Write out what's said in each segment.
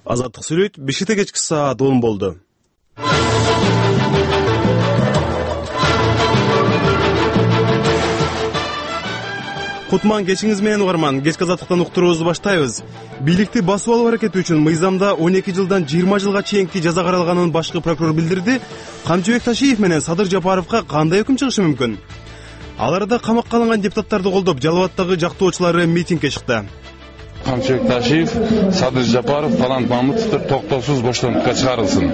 Азаттык сүйлөйт. Бишкекте кечки саат 10 болду. Кутман кечиңиз менен угарман. Кечки азаттыктан уктуруубузду баштайбыз. Бийликти басып алуу аракети үчүн мыйзамда 12 жылдан 20 жылга чейинки жаза каралганын башкы прокурор билдирди. Камчыбек Ташиев менен Садыр Жапаровго кандай өкүм чыгышы мүмкүн? Аларда камакка алынган депутаттарды колдоп, Жалал Абадтагы жактоочулары митингге чыкты. Камчыбек Ташиев, Садыр Жапаров, Талант Мамытовдор токтоосуз боштондукка чыгарылсын.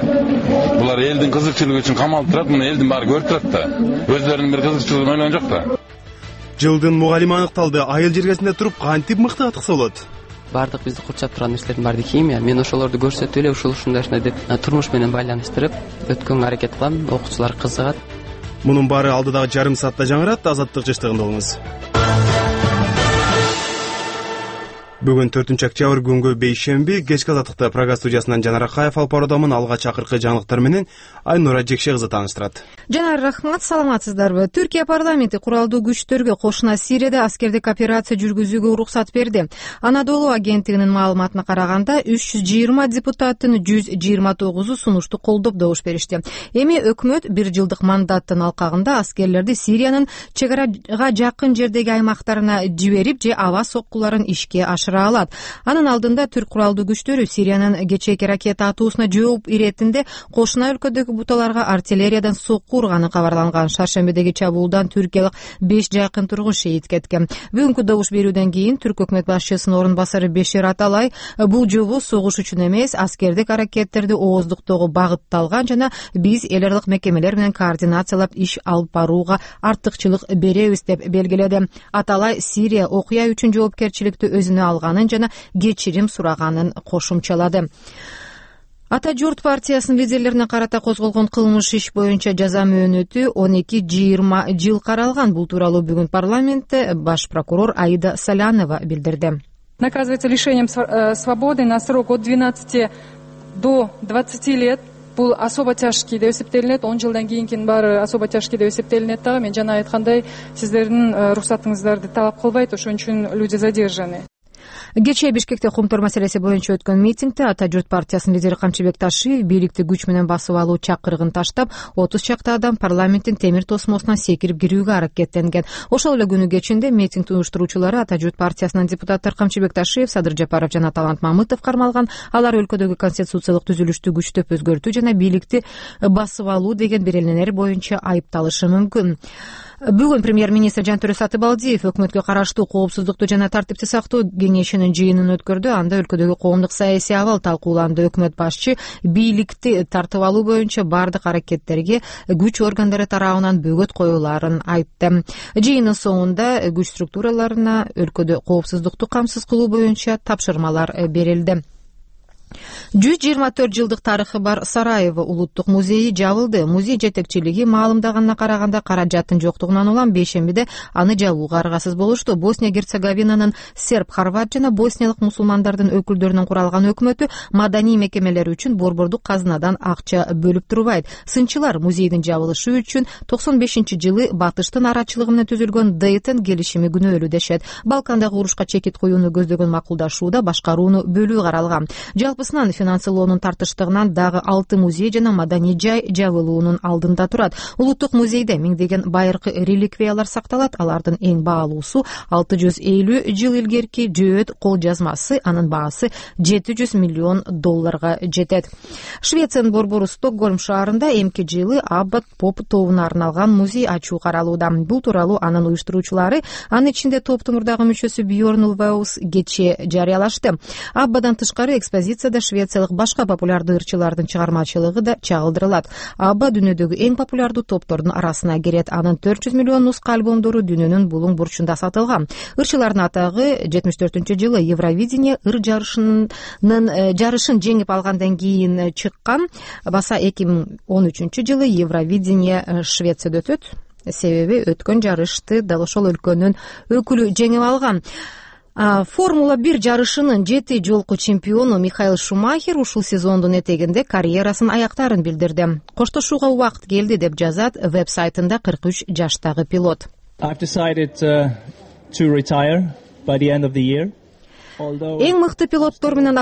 Булар элдин кызыкчылыгы үчүн камалып турат, муну элдин баары көрүп турат да. Өздөрүнүн бир кызыкчылыгын ойлогон жок да. Жылдын мугалими аныкталды. Айыл жергесинде туруп кантип мыкты атыкса болот? Бардык бизди курчап турган нерселердин баары химия. Мен ошолорду көрсөтүп эле ушундай деп турмуш менен байланыштырып өткөнгө аракет кылам. Окуучулар кызыгат. Мунун баары алдыдагы жарым саатта жаңырат. Азаттык жыштыгында болуңуз. Бүгүн 4-октябрь күнгө бейшемби. Кечки азаттыкта программа студиясынан Жанар Акаев алып баруудамын. Алга чакыркы жаңылыктар менен Айнура Жекше кызы тааныштырат. Жанар, рахмат, саламатсыздарбы? Түркия парламенти куралдуу күчтөргө кошуна Сирияда аскердик операция жүргүзүүгө уруксат берди. Анадолу агенттигинин маалыматына караганда 320 депутаттын 129 сунушту колдоп добуш беришти. Эми өкмөт 1 жылдык мандаттын алкагында аскерлерди Сириянын чек арага жакын жердеги аймактарына жиберип же аба соккуларын ишке ашыра алат. Анын алдында түрк куралдуу күчтөрү Сириянын кечээки ракета атуусуна жооп иретинде кошуна өлкөдөгү буталарга артиллериядан сокку урганы кабарланган. Шаршембедеги чабуулдан түркиялык 5 жакын тургуч шейит кеткен. Бүгүнкү добуш берүүдөн кийин түрк өкмөт башчысынын орун басары Бешир Аталай бул жолу согуш үчүн эмес, аскердик аракеттерди ооздуктоого багытталган жана биз эл аралык мекемелер менен координациялап иш алып барууга артыкчылык беребиз деп белгиледи. Аталай Сирия окуя үчүн жоопкерчиликти өзүнө алганын жана кечирим сураганын кошумчалады. Ата журт партиясынын лидерлерине карата козголгон кылмыш иш боюнча жаза мөөнөтү 12-20 жыл каралган. Бул тууралуу бүгүн парламентте баш прокурор Аида Солянова билдирди. Наказывается лишением свободы на срок от 12 до 20 лет. Бул особо тяжкий деп эсептелинет. 10 жылдан кийинкинин баары особо тяжкий деп эсептелинет дагы. Мен жана айткандай, сиздердин уруксатыңыздарды талап кылбайт, ошон үчүн люди задержаны. Кечээ Бишкекте коомдор маселеси боюнча өткөн митингде Ата журт партиясынын лидери Камчыбек Ташиев бийликти күч менен басып алуу чакырыгын таштап, 30 чакты адам парламенттин темир тосмосуна секирип кирүүгө аракеттенген. Ошол эле күнү кечинде митинг уюштуруучулары Ата журт партиясынын депутаттар Камчыбек Ташиев, Садыр Жапаров жана Талант Мамытов кармалган. Алар өлкөдөгү конституциялык түзүлүштү күчтөп өзгөртүү жана бийликти басып алуу деген береленер боюнча айыпталышы мүмкүн. Бүгүн премьер-министр Жантөрө Сатыбалдиев өкмөткө караштуу коопсуздукту жана тартипти сактоо кеңешинин жыйынын өткөрдү. Анда өлкөдөгү коомдук саясий абал талкууланды. Өкмөт башчы бийликти тартып алуу боюнча бардык аракеттерге күч органдары тарабынан бөгөт коюларын айтты. Жыйынын соңунда күч структураларына өлкөдө коопсуздукту камсыз кылуу боюнча тапшырмалар берилди. 124 жылдык тарыхы бар Сараево улуттук музейи жабылды. Музей жетекчилиги маалымдаганына караганда каражаттын жоктугунан улам бейшембиде аны жабууга аргасыз болушту. Босния-Герцеговинанын серб, хорват жана босниялык мусулмандардын өкүлдөрүнөн куралган өкмөтү маданий мекемелер үчүн борбордук казынадан акча бөлүп турбайт. Сынчылар музейдин жабылышы үчүн 95-жылы Батыштын арачылыгы менен түзүлгөн Дейтон келишими күнөөлүү дешет. Балкандагы урушка чекит коюуну көздөгөн макулдашууда башкарууну бөлүү каралган. Жалпысынан финансылоонун тартыштыгынан дагы 6 музей жана маданий жай жабылуунун алдында турат. Улуттук музейде миңдеген байыркы реликвиялар сакталат. Алардын эң баалуусу 650 жыл илгерки жөөт кол жазмасы. Анын баасы $700 миллион жетет. Швециянын борбору Стокгольм шаарында эмки жылы Аббат Поп тобуна арналган музей ачуу каралууда. Бул тууралуу анын уюштуруучулары, анын ичинде топтомурдагы мүчөсү Бьорн Улваус кечээ жарыялашты. Аббадан тышкары экспозицияда швециялык башка популярдуу ырчылардын чыгармачылыгы да чагылдырылат. Абба дүйнөдөгү эң популярдуу топтордун арасына кирет. Анын 400 миллион нуска альбомдору дүйнөнүн булуң бурчунда сатылган. Ырчылардын атагы 74-жылы Евровидение ыр жарышын жеңип алгандан кийин чыккан. Баса 2013-жылы Евровидение Швецияда өтөт. Себеби өткөн жарышты дал ошол өлкөнүн өкүлү жеңип алган. Формула 1 жарышынын 7 жолку чемпиону Михаил Шумахер ушул сезондун этегинде карьерасын аяктарын билдирди. Коштошууга убакыт келди деп жазат веб-сайтында 43 жаштагы пилот. Эң мыкты пилоттор менен